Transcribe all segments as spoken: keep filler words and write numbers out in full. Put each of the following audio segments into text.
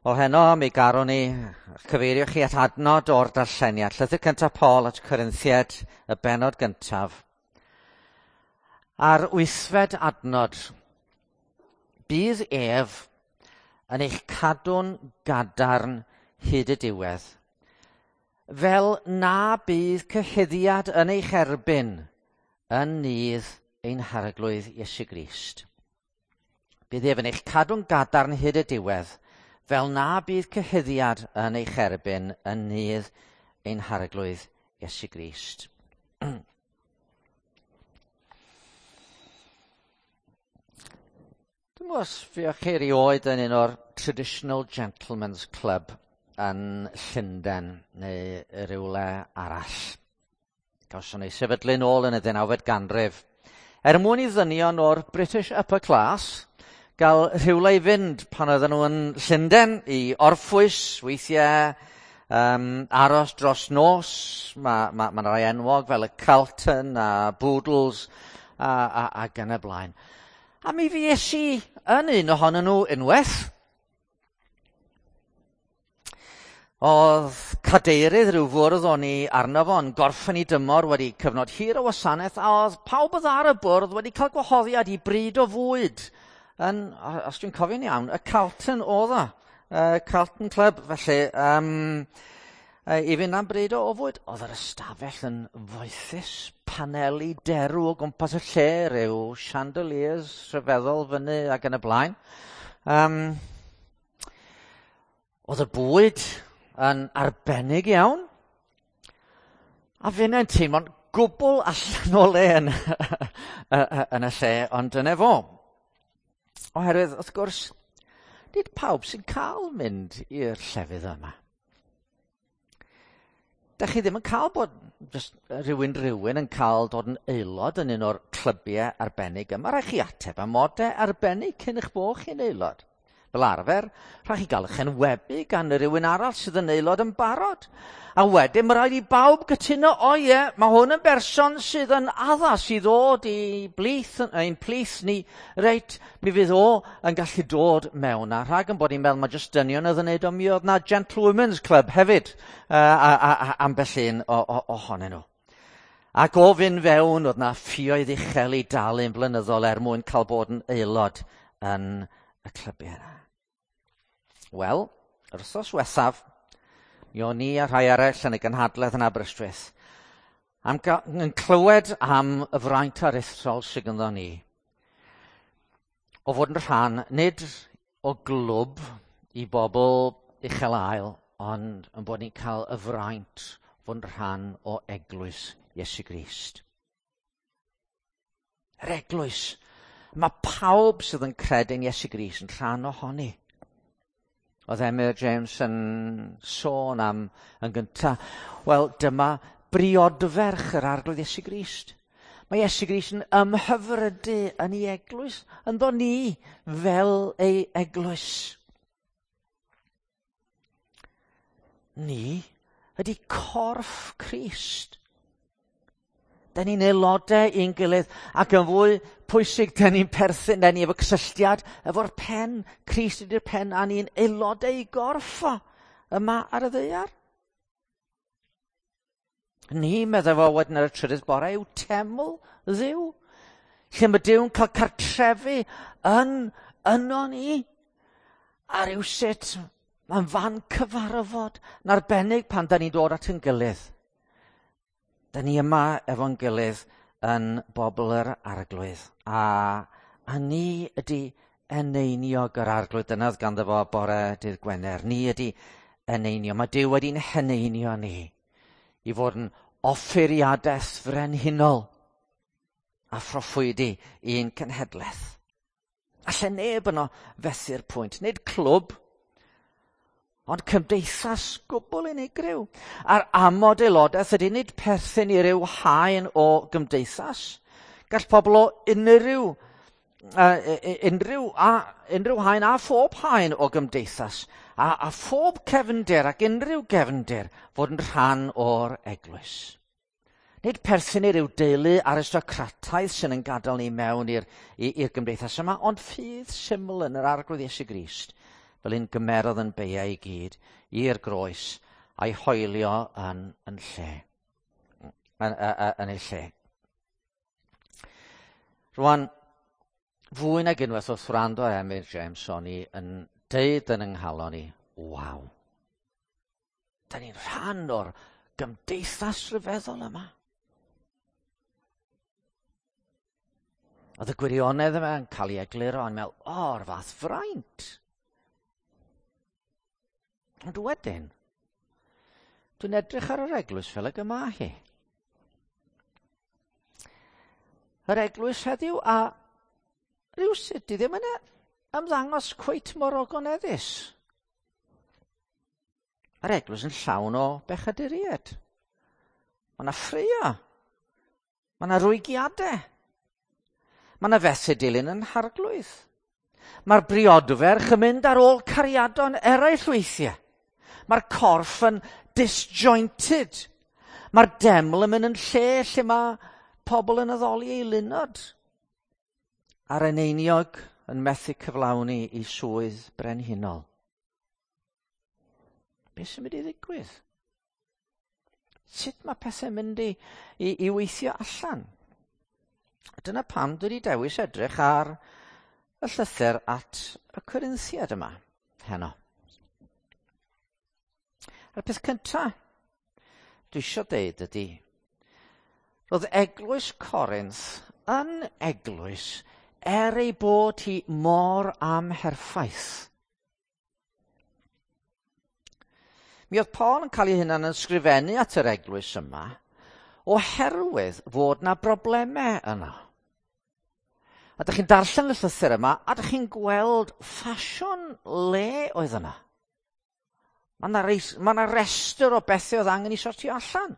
Wel heno mi garwn ni cyfeirio chi at adnod o'r darlleniad. Llythyr cyntaf Paul at Corinthiaid, y bennod gyntaf. A'r wythfed adnod. Bydd ef yn eich cadw'n gadarn hyd y diwedd, fel na bydd cyhuddiad yn eich erbyn yn nydd ein Harglwydd Iesu Grist. Bydd ef yn eich cadw'n gadarn hyd y diwedd, fel na bydd cyhuddiad yn eich erbyn yn nydd ein Harglwydd Iesu Grist. Dwi'm os fuoch chi erioed yn un o'r Traditional Gentlemen's Club yn Llundain neu rywle arall. Gawson ei sefydlu nôl yn y ddeunawfed ganrif. Er mwyn i ddynion o'r British upper class gael rhywle i fynd pan oedden nhw yn Llundain i orffwys, weithiau um, aros dros nos. Mae ma, ma rai enwog fel y Carlton a Boodles a, a, ac yn y blaen. A mi fues i yn un ohonyn nhw unwaith. Oedd cadeirydd rhyw fwrdd o'n i arno fo yn gorffen i dymor wedi cyfnod hir o wasanaeth, a oedd pawb oedd ar y bwrdd wedi cael gwahoddiad i bryd o fwyd yn, os dwi'n cofio'n iawn, y Carlton oedd o, uh, Carlton Club, felly um, i fynd am bryd o, o fwyd. Oedd yr ystafell yn foethus, paneli derw o gwmpas y lle, rhyw chandeliers rhyfeddol fyny ac yn y blaen. Um, oedd y bwyd yn arbennig iawn. A finne'n teimlo'n gwbl allan o le yn, yn y lle, ond dyna fo. Oherwydd, wrth gwrs, nid pawb sy'n cael mynd i'r llefydd yma. Dach chi ddim yn cael bod just rhywun rhywun yn cael dod yn aelod yn un o'r clybiau arbennig yma. Rhaid chi ateb amodau arbennig cyn eich bod chi'n aelod. Fel arfer, rhaid chi gael eich enwebu gan rhywun arall sydd yn aelod yn barod. A wedyn mae rhaid i bawb gytuno, o ie, mae hwn yn berson sydd yn addas i ddod i blith, ein plith ni, reit, mi fydd o yn gallu dod mewn. A rhag yn bod ni'n meddwl mae jyst dynion oedd yn neud o, mi oedd na Gentlewomen's Club hefyd, uh, a, a, a, ambell un ohonyn nhw. Ac o fynd fewn, oedd na ffioedd uchel i dalu'n blynyddol er mwyn cael bod yn aelod yn y clybiau yna. Wel, yr wythnos wethaf, mi o'n i a rhai eraill yn y gynhadledd yn Aberystwyth, am yn clywed am y fraint aruthrol sydd ganddo ni, o fod yn rhan, nid o glwb i bobl uchel ael, ond yn bod ni'n cael y fraint fod yn rhan o eglwys Iesu Grist. Yr eglwys. Mae pawb sydd yn credu'n Iesu Grist yn rhan ohoni. Oedd Emyr James yn sôn am yn gyntaf, wel, dyma briodferch yr Arglwydd Iesu Grist. Mae Iesu Grist yn ymhyfrydu yn ei eglwys, ynddo ni fel ei eglwys. Ni ydy corff Crist. Da ni'n aelodau i'n gilydd, ac yn fwy pwysig, da ni'n perthyn, da ni efo cysylltiad efo'r pen. Crist ydy'r pen, a ni'n aelodau i gorff o yma ar y ddaear. Ni, meddai fo wedyn ar y trydydd bore, yw teml Dduw, lle mae Duw'n cael cartrefu yn yno ni. A rywsut, mae'n fan cyfarfod yn arbennig pan da ni'n dod at ein gilydd. Da ni yma efo'n gilydd yn bobl yr Arglwydd. A, a ni ydy eneiniog yr Arglwydd. Dyna oedd ganddo fo bore dydd Gwener. Ni ydy eneinio. Mae Duw wedi'n heneinio ni i fod yn offeiriadaeth frenhinol a phroffwydi i'n cenhedlaeth. Alle neb yno fethu'r pwynt. Nid clwb, ond cymdeithas gwbl unigryw. A'r amod aelodaeth ydy nid perthyn i ryw haen o gymdeithas. Gall pobl o unrhyw, uh, unrhyw, a, unrhyw haen a phob haen o gymdeithas, a, a phob cefndir ac unrhyw gefndir fod yn rhan o'r eglwys. Nid perthyn i ryw deulu aristocrataidd sy'n yn gadael ni mewn i'r, i'r gymdeithas yma, ond ffydd syml yn yr Arglwydd Iesu Grist. fel un gymerodd yn beiau i gyd i'r groes a'i hoelio yn, yn lle, yn, yn, yn ei lle. Rwan, fwy nag unwaith wrth wrando ar Emyr James, o'n i yn deud yn yng nghalon i, waw, da ni'n rhan o'r gymdeithas rhyfeddol yma. Oedd y gwirionedd yma yn cael ei egluro, o'n meddwl, o'r fath fraint. Ond wedyn, dwi'n edrych ar yr eglwys fel ag yma hi. Yr eglwys heddiw a rhywsut di ddim yn ymddangos cweit mor ogoneddus. Yr eglwys yn llawn o bechaduriaid. Mae yna ffraeo. Mae yna rwygiadau. Mae yna fethu dilyn yn harglwydd. Mae'r briodferch yn mynd ar ôl cariadon eraill weithiau. Mae'r corff yn disjointed. Mae'r deml yn mynd yn lle lle mae pobl yn addoli ei lunod. A'r eneiniog yn methu cyflawni i swydd brenhinol. Be sy'n mynd i ddigwydd? Sut mae pethau'n mynd i, i, i weithio allan? Dyna pam dwi wedi dewis edrych ar y llythyr at y Corinthiaid yma heno. A'r peth cyntaf dwi eisiau deud ydy, roedd eglwys Corinth yn eglwys er ei bod hi mor amherffaith. Mi oedd Paul yn cael ei hunan yn sgrifennu at yr eglwys yma oherwydd fod na broblemau yno. A dych chi'n darllen y llythyr yma, a dych chi'n gweld ffasiwn le oedd yna. Mae yna ma 'na restr o bethau oedd angen i sortio allan.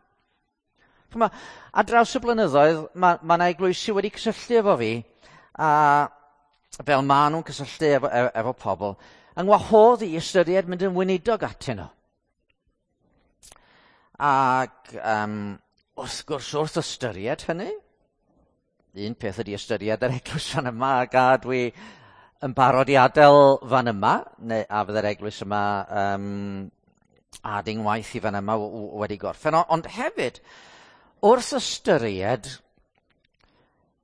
Ch'mo, ar draws y blynyddoedd, mae ma 'na eglwysi wedi cysylltu efo fi, a fel maen nhw'n cysylltu efo, efo, efo pobl, yng ngwahodd i ystyried mynd yn weinidog atyn nhw. Ac um, wrth gwrs, wrth ystyried hynny, un peth ydy ystyried yr eglwys fan yma, ac a dwi yn barod i adael fan yma, neu a fydde'r eglwys yma um, a ding waith i fan yma wedi gorffen. Ond hefyd, wrth ystyried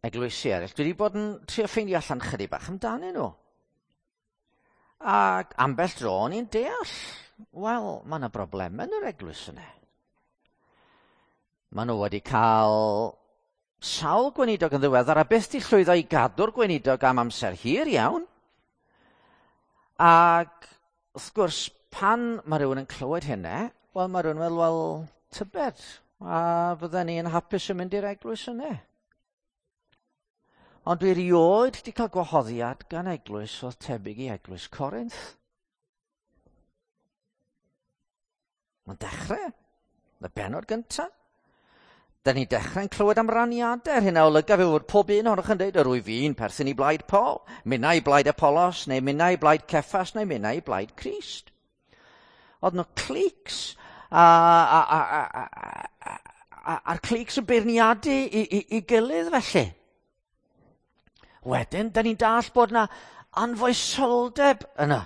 eglwysi eraill, dwi wedi bod yn trio ffeindio allan chydig bach amdanyn nhw. Ac ambell dro o'n i'n deall, wel, mae yna broblemau yn yr eglwys yna. Maen nhw wedi cael sawl gweinidog yn ddiweddar a byth di llwyddo i gadw'r gweinidog am amser hir iawn. Ac wrth gwrs, pan mae rhywun yn clywed hynny, wel, mae rhywun yn meddwl, wel, tybed, a fydden ni'n hapus yn mynd i'r eglwys yna. Ond dwi erioed wedi cael gwahoddiad gan eglwys oedd tebyg i eglwys Corinth. Mae'n dechrau, y bennod gyntaf. Da ni'n dechrau'n clywed am raniadau. Yr hyn a olyga fe fod pob un ohonoch yn dweud, yr wyf fi'n perthyn i blaid Paul, minnau i blaid Apollos, neu minnau i blaid Ceffas, neu minnau i blaid Crist. Oedd nhw cliques, a, a, a, a, a, a, a'r cliques yn beirniadu i, i, i gilydd felly. Wedyn, da ni'n dall bod yna anfoesoldeb yna.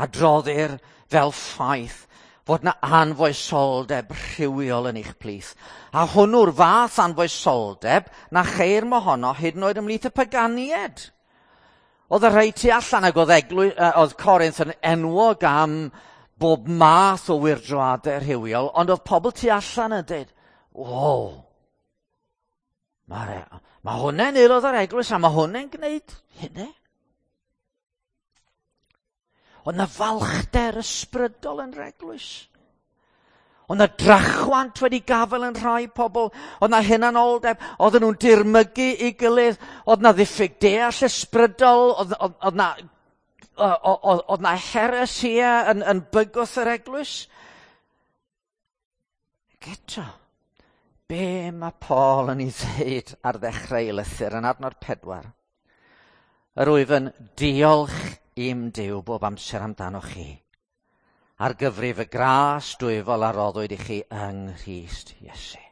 Adroddir fel ffaith fod na anfoesoldeb rhywiol yn eich plith. A hwnnw'r fath anfoesoldeb na cheir mohono hyd yn oed ymhlith y paganiaid. Oedd y rhai tu allan ac oedd, eglwy, oedd Corinth yn enwog am bob math o wyrdroadau rhywiol, ond oedd pobl tu allan yn dweud, wow, mae ma hwnna'n aelod o'r eglwys a mae hwnna'n gwneud hynny. Oedd na falchder ysbrydol yn yr eglwys. Oedd na drachwant wedi gafael yn rhai pobl. Oedd na hunanoldeb. Oedden nhw'n dirmygu i gilydd. Oedd na ddiffyg deall ysbrydol. Oedd, oedd, oedd na, oedd, oedd na heresia yn, yn bygwth yr eglwys. Ac eto, be mae Paul yn ei ddweud ar ddechrau ei lythyr yn adnod pedwar? Yr wyf yn diolch i'm Duw bob amser amdanoch chi, ar gyfrif y gras dwyfol a roddwyd i chi yng Nghrist Iesu.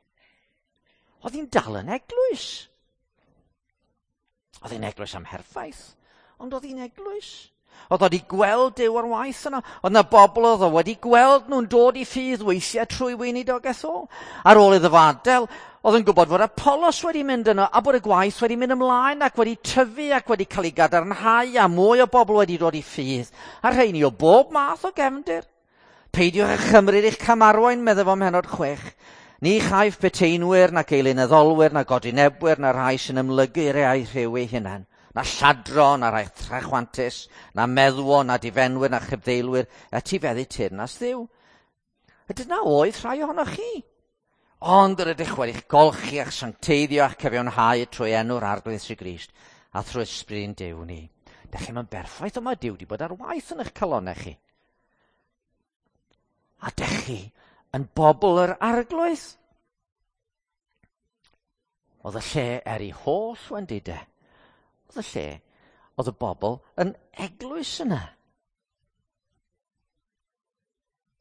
Oedd hi'n dal yn eglwys. Oedd hi'n eglwys amherffaith, ond oedd hi'n eglwys. Oedd o wedi gweld Duw ar waith yna. Oedd yna bobl oedd o wedi gweld nhw'n dod i ffydd weithiau trwy weinidogaeth o. Ar ôl iddo fo adael, oedd yn gwybod fod Apollos wedi mynd yno a bod y gwaith wedi mynd ymlaen ac wedi tyfu ac wedi cael ei gadarnhau a mwy o bobl wedi dod i ffydd. A rheini o bob math o gefndir. Peidiwch â chymryd eich camarwain, meddai fo ym mhennod chwech. Ni chaiff peteinwyr nac eilunaddolwyr na godinebwyr na rhai sy'n ymlygu i'r eu rhyw eu hunain, na lladron, na rhai trachwantus, na meddwon, na difenwyr, na chybddeilwyr, etifeddu teyrnas Dduw. A dyna oedd rhai ohonoch chi. Ond yr ydych wedi'ch golchi a'ch sancteiddio a'ch cyfiawnhau trwy enw'r Arglwydd Iesu Grist a thrwy ysbryd Duw ni. Dych chi'm yn berffaith, ond mae Duw wedi bod ar waith yn eich calonnau chi. A dych chi yn bobl yr Arglwydd. Oedd y lle er ei holl wendidau. Oedd y lle, oedd y bobl yn eglwys yna.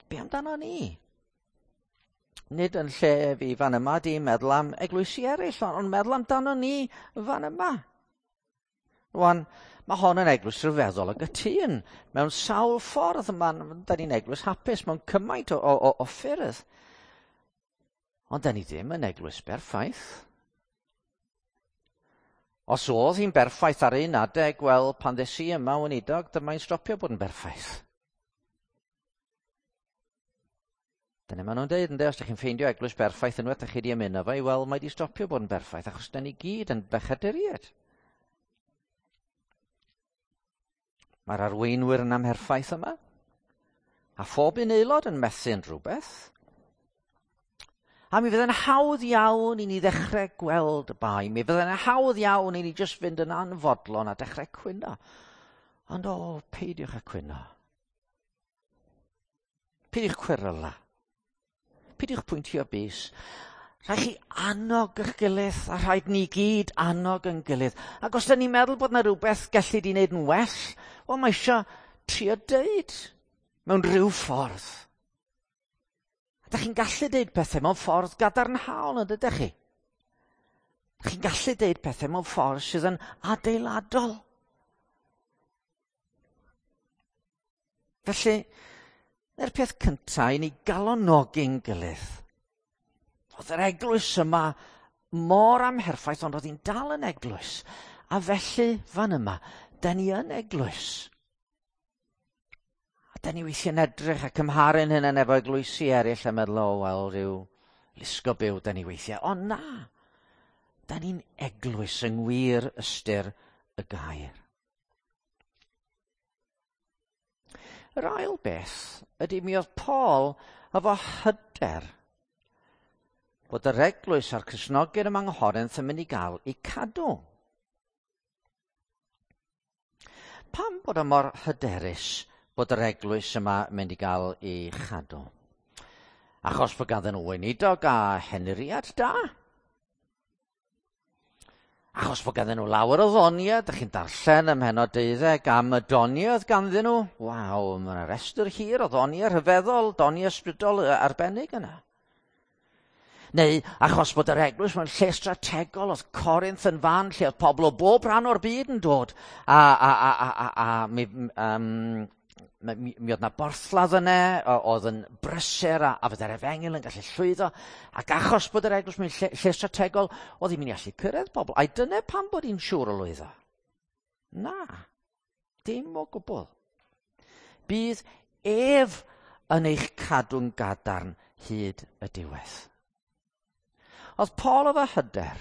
Be amdano ni? Nid yn lle fi fan yma di meddwl am eglwysi eraill, ond meddwl amdano ni fan yma. Rwan, mae hon yn eglwys rhyfeddol o gytûn. Mewn sawl ffordd, ma'n, da ni'n eglwys hapus mewn cymaint o, o, o ffyrdd. Ond da ni ddim yn eglwys berffaith. Os oedd hi'n berffaith ar un adeg, wel, pan ddes i yma, weinidog, dyma'n stopio bod yn berffaith. Dyna maen nhw'n deud, ynde, os ydych chi'n ffeindio eglwys berffaith unwaith ydych chi wedi ymuno fo, wel, mae wedi stopio bod yn berffaith, achos da ni gyd yn bechaduriaid. Mae'r arweinwyr yn amherffaith yma, a phob un aelod yn methu yn rhywbeth. A mi fydd yn hawdd iawn i ni ddechrau gweld y bai. Mi fydd yn hawdd iawn i ni jyst fynd yn anfodlon a dechrau cwyno. Ond o, peidiwch â cwyno. Peidiwch cweryla. Peidiwch pwyntio bys. Rhaid chi annog eich gilydd, a rhaid ni gyd annog yn gilydd. Ac os da ni'n meddwl bod yna rhywbeth gellid i wneud yn well, wel mae eisiau trio deud mewn rhyw ffordd. Da chi'n gallu deud pethau mewn ffordd gadarnhaol, yn dydych chi? Da chi'n gallu deud pethau mewn ffordd sydd yn adeiladol. Felly, yr peth cyntaf i ni galonogi'n gilydd. Oedd yr eglwys yma mor amherffaith, ond oedd hi'n dal yn eglwys. A felly, fan yma, da ni yn eglwys. Da ni weithiau'n edrych a cymharu'n hynny efo eglwysi eraill a meddwl, o, wel, rhyw lusgo byw da ni weithiau. Ond na, da ni'n eglwys yng ngwir ystyr y gair. Yr ail beth ydy mi oedd Paul efo hyder bod yr eglwys a'r Cristnogion yma yng Nghorinth yn mynd i gael eu cadw. Pam bod o mor hyderus bod yr eglwys yma mynd i gael ei chadw? Achos bod ganddyn nhw weinidog a henuriad da. Achos bod ganddyn nhw lawer o ddoniau, dych chi'n darllen ym mhennod deuddeg am y doniau oedd ganddyn nhw. Waw, mae yna restr hir o ddoniau rhyfeddol, doniau ysbrydol arbennig yna. Neu achos bod yr eglwys mewn lle strategol, oedd Corinth yn fan lle oedd pobl o bob rhan o'r byd yn dod. A, a, a, a, a, a mi, um, mi, mi oedd na borthladd yna, oedd yn brysur a, a fydde'r efengyl yn gallu llwyddo. Ac achos bod yr eglwys mewn lle, lle strategol, oedd hi'n mynd i allu cyrraedd pobl. Ai dyna pam bod hi'n siŵr o lwyddo? Na, dim o gwbl. Bydd ef yn eich cadw'n gadarn hyd y diwedd. Oedd Paul efo hyder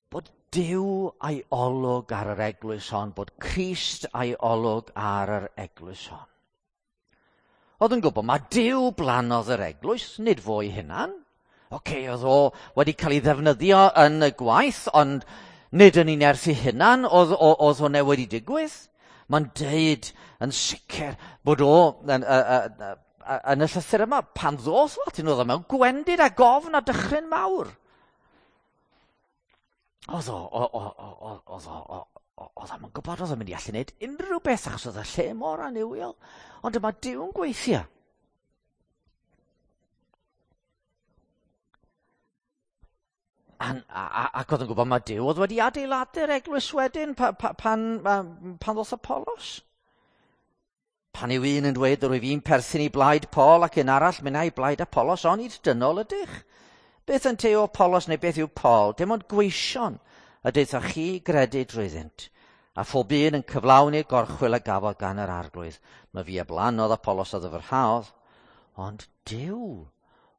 bod Duw a'i olwg ar yr eglwys hon, bod Crist a'i olwg ar yr eglwys hon. Oedd yn gwybod, mae Duw blanodd yr eglwys, nid fo'i hunan. Oce, oedd o wedi cael ei ddefnyddio yn y gwaith, ond nid yn ei nerth ei hunan, oedd, oedd hwnna wedi digwydd. Mae'n deud yn sicr bod o yn, yn, yn y llythyr yma, pan ddoth o atyn nhw, oedd o mewn gwendid a gofn a dychryn mawr. Oedd o, oedd o, oedd o'n gwybod oedd o'n mynd i allu gwneud unrhyw beth achos oedd y lle mor annuwiol. Ond dyma Duw yn gweithio. A, a, ac oedd yn gwybod mae Duw oedd wedi adeiladu'r eglwys wedyn pa, pa, pan, pan ddoth Apollos. Pan yw un yn dweud yr wyf fi'n perthyn i blaid Paul ac un arall minnau i blaid Apollos, onid dynol ydych? Beth yn te o Apollos neu beth yw Paul? Dim ond gweision y deuthoch chi gredu drwyddynt. A phob un yn cyflawni'r gorchwyl a gafodd gan yr Arglwydd. Mae fi a blanodd Apollos a ddyfrhaodd, ond Duw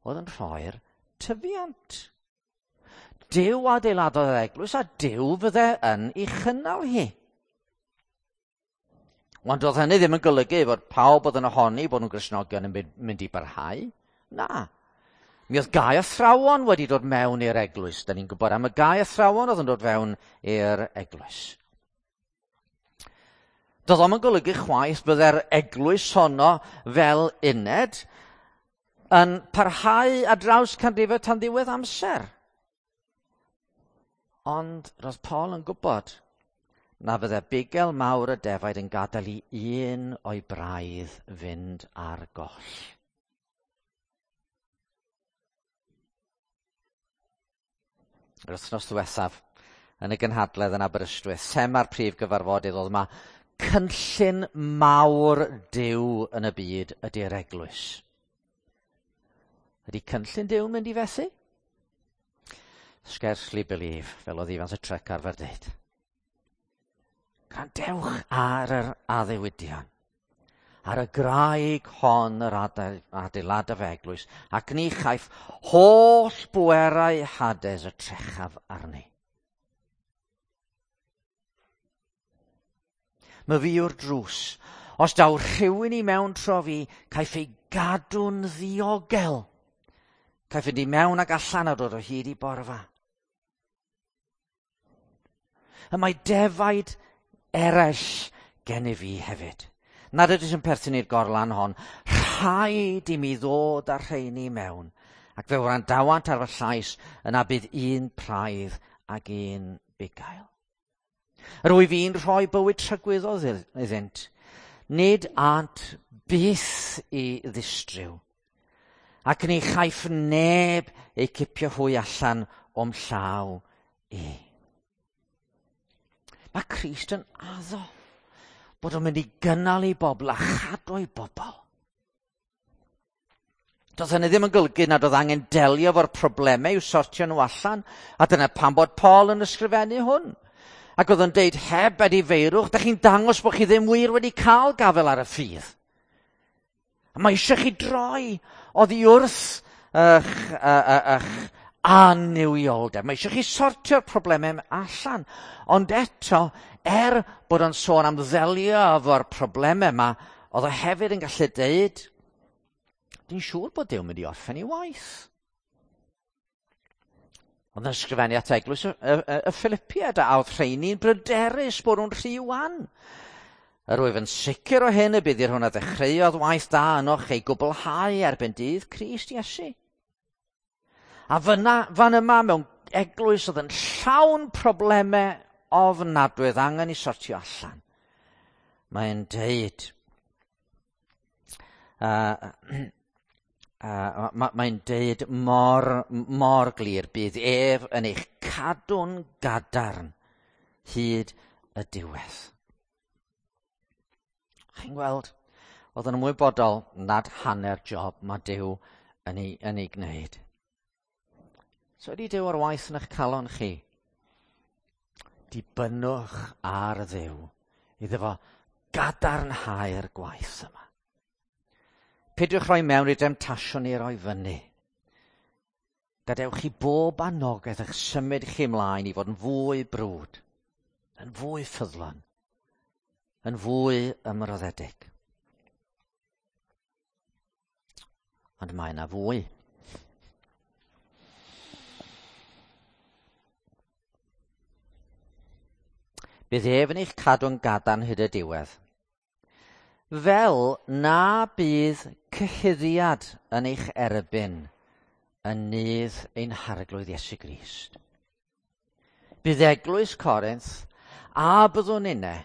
oedd yn rhoi'r tyfiant. Duw adeiladodd yr eglwys a Duw fydde yn ei chynnal hi. Ond oedd hynny ddim yn golygu fod pawb oedd yn ohoni bod nhw'n Gristnogion yn mynd i barhau. Na. Mi oedd gau athrawon wedi dod mewn i'r eglwys. Da ni'n gwybod am y gau athrawon oedd yn dod fewn i'r eglwys. Doedd o'm yn golygu chwaith bydde'r eglwys honno fel uned yn parhau ar draws canrifoedd tan ddiwedd amser. Ond roedd Paul yn gwybod na fydde bugel mawr y defaid yn gadael i un o'i braidd fynd ar goll. Yr wythnos ddiwethaf yn y gynhadledd yn Aberystwyth, thema'r prif gyfarfodydd oedd yma cynllun mawr Duw yn y byd ydy'r eglwys. Ydy cynllun Duw yn mynd i fethu? Scarcely believe, fel oedd Ifans y Truck arfer dweud. Gwrandewch ar yr addewidion, ar y graig hon yr adeiladaf eglwys, ac ni chaiff holl bwerau Hades y trechaf arni. Mae fi yw'r drws. Os daw rhywun i mewn tro fi, caiff ei gadw'n ddiogel. Caiff fynd i mewn ac allan a dod o hyd i borfa. Y mae defaid eraill gennyf fi hefyd. Nad ydych yn perthyn i'r gorlan hon, rhaid i mi ddod â'r rheini mewn, ac fe wrandawant ar fy llais, yna bydd un praidd ac un bugail. Yr wyf fi'n rhoi bywyd tragwyddol iddynt, nid ânt byth i ddistryw, ac ni chaiff neb eu cipio hwy allan o'm llaw i. Mae Crist yn addo bod o'n mynd i gynnal ei bobl a chadw ei bobl. Doedd hynny ddim yn golygu nad oedd angen delio efo'r problemau i'w sortio nhw allan, a dyna pam bod Paul yn ysgrifennu hwn. Ac oedd o'n deud, heb edifeirwch, da chi'n dangos bod chi ddim wir wedi cael gafael ar y ffydd. A mae eisiau chi droi oddi wrth eich, eich annuwioldeb. Mae eisiau chi sortio'r problemau allan. Ond eto, er bod o'n sôn am ddelio efo'r problemau yma, oedd o hefyd yn gallu deud, dwi'n siŵr bod Duw yn mynd i orffen ei waith. Oedd yn ysgrifennu at eglwys y, y, y, y Philippiaid, a oedd rheini'n bryderus bod nhw'n rhy wan. Yr wyf yn sicr o hyn y bydd i'r hwn a ddechreuodd waith da ynoch ei gwblhau erbyn dydd Crist Iesu. A fyna, fan yma mewn eglwys oedd yn llawn problemau ofnadwy oedd angen i sortio allan. Mae'n deud, uh, uh, mae'n deud mor, mor glir, bydd ef yn eich cadw'n gadarn hyd y diwedd. Chi'n gweld, oedd yn ymwybodol nad hanner job mae Duw yn ei, yn ei gwneud. So ydy Duw ar waith yn eich calon chi? Dibynnwch ar Dduw iddo fo gadarnhau'r gwaith yma. Peidiwch rhoi mewn i demtasiwn i roi fyny. Gadewch chi bob anogaeth eich symud chi ymlaen i fod yn fwy brwd, yn fwy ffyddlon, yn fwy ymroddedig. Ond mae yna fwy. Bydd ef yn eich cadw'n gadarn hyd y diwedd, fel na bydd cyhuddiad yn eich erbyn yn nydd ein Harglwydd Iesu Grist. Bydd eglwys Corinth a byddwn inne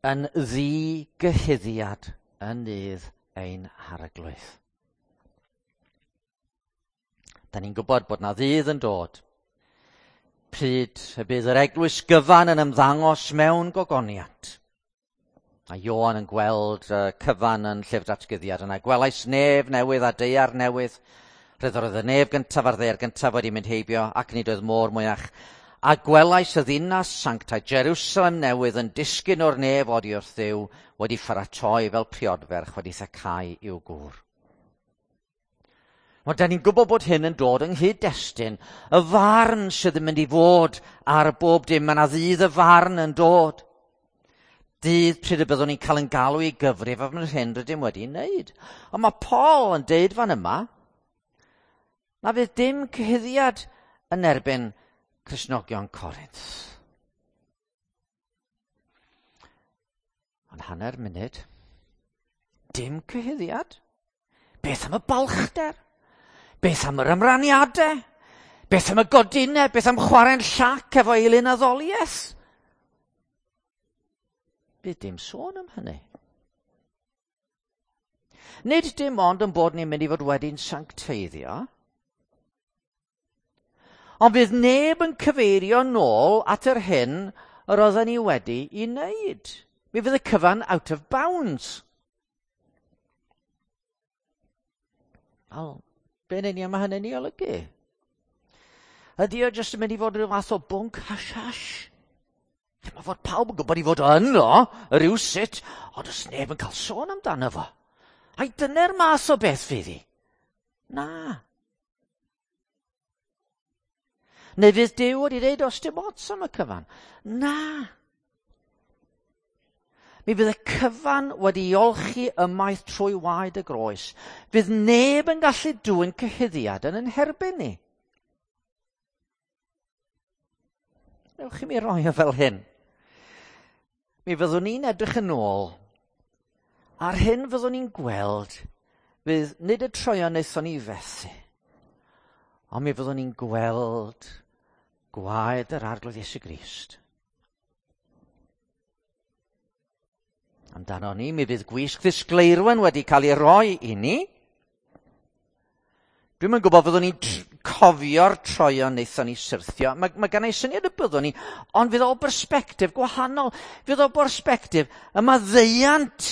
yn ddigyhuddiad yn nydd ein Harglwydd. Da ni'n gwybod bod na ddydd yn dod Pryd y bydd yr eglwys gyfan yn ymddangos mewn gogoniant. A Ioan yn gweld uh, cyfan yn Llyfr Datguddiad yna. Gwelais nef newydd a daear newydd. Roedd oedd y nef gyntaf a'r ddaear gyntaf wedi mynd heibio ac nid oedd môr mwyach. A gwelais y ddinas sanctaidd Jerusalem newydd yn disgyn o'r nef oddi wrth Dduw wedi pharatoi fel priodferch wedi thacau i'w gŵr. Ond da ni'n gwybod bod hyn yn dod yng nghyd-destun y farn sydd yn mynd i fod ar bob dim. Mae yna ddydd y farn yn dod. Dydd pryd y byddwn ni'n cael yn galw i gyfrif am yr hyn rydym wedi wneud. Ond mae Paul yn deud fan yma na fydd dim cyhuddiad yn erbyn Cristnogion Corinth. Ond hanner munud, dim cyhuddiad. Beth am y balchder? Beth am yr ymraniadau? Beth am y godinau? Beth am chwarae'n llac efo eilun addoliaeth? Bydd dim sôn am hynny. Nid dim ond yn bod ni'n mynd i fod wedi'n sancteiddio, ond bydd neb yn cyfeirio nôl at yr hyn yr oedden ni wedi i wneud. Mi fydd y cyfan out of bounds. Wel, be yn union mae hynny'n ei olygu? Ydy o jyst yn mynd i fod rhyw fath o bwnc hash-hash? Mae fod pawb yn gwybod i fod yno, rhywsut, ond oes neb yn cael sôn amdano fo. Ai dyna'r math o beth fydd hi? Na. Neu fydd Duw wedi dweud os dim ots am y cyfan? Na. Mi fydd y cyfan wedi olchi ymaith trwy waed y groes. Fydd neb yn gallu dwyn cyhuddiad yn yn herbyn ni. Newch chi mi roi o fel hyn. Mi fyddwn ni'n edrych yn ôl, a'r hyn fyddwn ni'n gweld fydd nid y troion wnaethon ni fethu, ond mi fyddwn ni'n gweld gwaed yr Arglwydd Iesu Grist. Amdano ni, mi fydd gwisg ddisgleirwen wedi cael ei roi i ni. Dwi'm yn gwybod fyddwn ni'n cofio'r troion wnaethon ni syrthio. Mae, mae gen i syniad y byddwn ni, ond fydd o bersbectif gwahanol. Fydd o bersbectif y maddeuant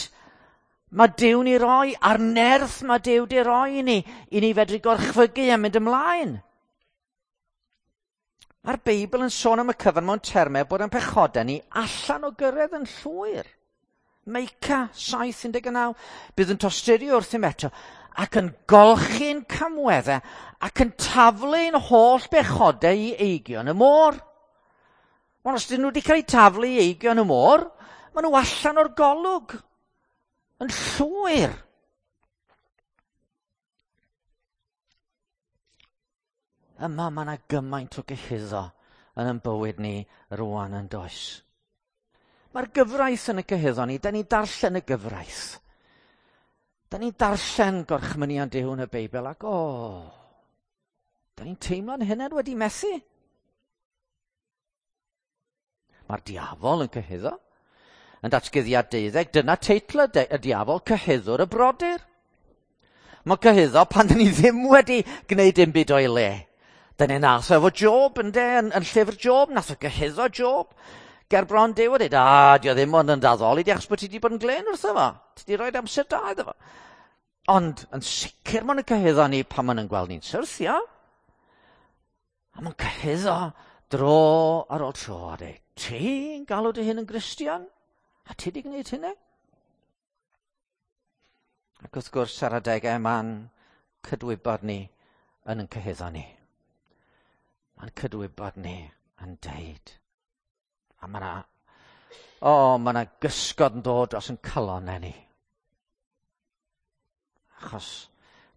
mae Duw'n ei roi, a'r nerth mae Duw di roi i ni, i ni fedru gorchfygu a mynd ymlaen. Mae'r Beibl yn sôn am y cyfan mewn termau bod yn pechodau ni allan o gyrraedd yn llwyr. Meica saith un deg naw, bydd yn tosturio wrthym eto ac yn golchi'n camweddau ac yn taflu'n holl bechodau i eigion y môr. Ond os dyn nhw wedi cael eu taflu i eigion y môr, maen nhw allan o'r golwg yn llwyr. Yma mae yna gymaint o gyhuddo yn ein bywyd ni rwan yn does. Mae'r gyfraith yn y cyhuddo ni, da ni'n darllen y gyfraith. Da ni'n darllen gorchmynion Duw yn y Beibl ac o, da ni'n teimlo'n hunain wedi methu. Mae'r diafol yn cyhuddo. Yn Datguddiad deuddeg, dyna teitl y, y diafol, cyhuddwr y brodyr. Mae cyhuddo pan dyn ni ddim wedi gwneud dim byd o'i le. Dyna nath o efo Job, ynde, yn, yn llyfr Job, nath o gyhuddo Job. Ger bron Duw a dweud, a, dio ddim ond yn daddoli di achos bod ti wedi bod yn glên wrtho fo. Ti wedi rhoi amser da iddo fo. Ond yn sicr maen nhw'n cyhuddo ni pan maen nhw'n gweld ni'n syrthio. A maen cyhuddo dro ar ôl tro a dweud, ti'n galw dy hun yn Gristion? A ti wedi gwneud hynny? Ac wrth gwrs ar adegau ma'n cydwybod ni yn yn cyhuddo ni. Ma'n cydwybod ni yn deud. A mae yna, o, mae yna gysgod yn dod dros yn calonnau ni. Achos,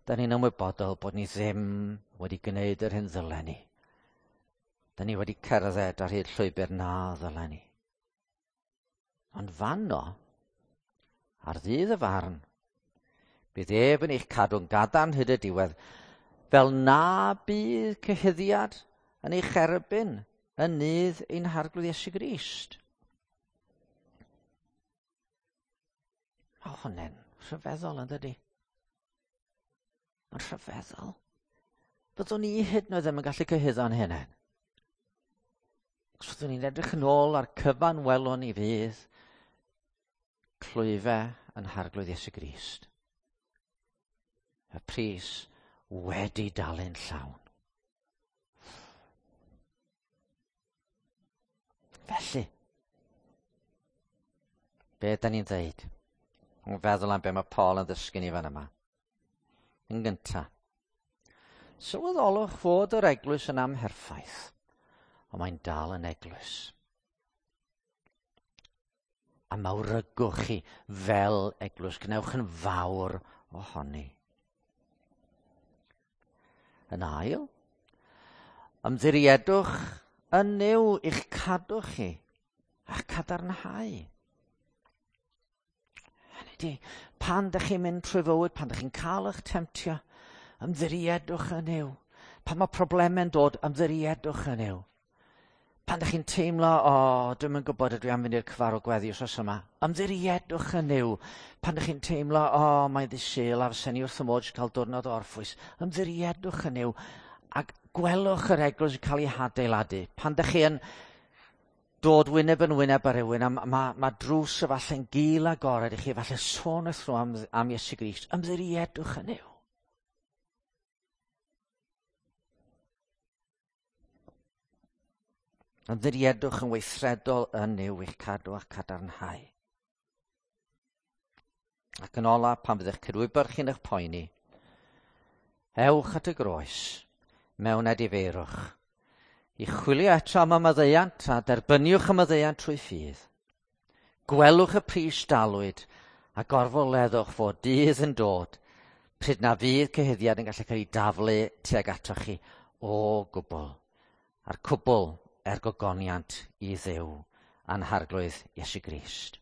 da ni'n ymwybodol bod ni ddim wedi gwneud yr hyn ddylen ni. Da ni wedi cerdded ar hyd llwybr na ddylen ni. Ond fanno, ar ddydd y farn, bydd ef yn eich cadw'n gadarn hyd y diwedd, fel na bydd cyhuddiad yn eich erbyn yn nydd ein Harglwydd Iesu Grist. Mae hwnna'n rhyfeddol, yn dydi? Mae'n rhyfeddol. Byddwn ni hyd yn oed ddim yn gallu cyhuddo'n hunain. Os fyddwn ni'n edrych yn ôl ar cyfan welwn ni fydd clwyfau yn Harglwydd Iesu Grist. Y pris wedi dalu'n llawn. Felly, be da ni'n dweud? Yn feddwl am be mae Paul yn ddysgu ni fan yma. Yn gyntaf, sylweddolwch fod yr eglwys yn amherffaith, ond mae'n dal yn eglwys. A mawrygwch chi fel eglwys, gwnewch yn fawr ohoni. Yn ail, ymddiriedwch yn Nuw i'ch cadw chi a'ch cadarnhau. Hynny ydi, pan dych chi'n mynd trwy fywyd, pan dych chi'n cael eich temtio, ymddiriedwch yn Nuw. Pan mae problemau'n dod, ymddiriedwch yn Nuw. Pan dych chi'n teimlo, o, oh, dwi'm yn gwybod ydw i am fynd i'r cyfarfod gweddi wsos yma, ymddiriedwch yn Nuw. Pan dych chi'n teimlo, o, oh, mae'n ddydd Sul a fysen i wrth y modd cael diwrnod o orffwys, ymddiriedwch yn Nuw. Ac gwelwch yr eglwys yn cael ei hadeiladu. Pan dych chi yn dod wyneb yn wyneb ar rywun, a mae ma, ma drws efallai'n gul agored i chi, efallai sôn wrth nhw am, am Iesu Grist, ymddiriedwch yn Nuw. Ymddiriedwch yn weithredol yn Nuw i'ch cadw a'ch cadarnhau. Ac yn ola, pan fydd eich cydwybod chi'n eich poeni, ewch at y groes mewn edifeirwch i chwilio eto am y maddeuant a derbyniwch y maddeuant trwy ffydd. Gwelwch y pris dalwyd a gorfoleddwch fod dydd yn dod pryd na fydd cyhuddiad yn gallu cael ei daflu tuag atoch chi o gwbl. A'r cwbl er gogoniant i Dduw a'n Harglwydd Iesu Grist.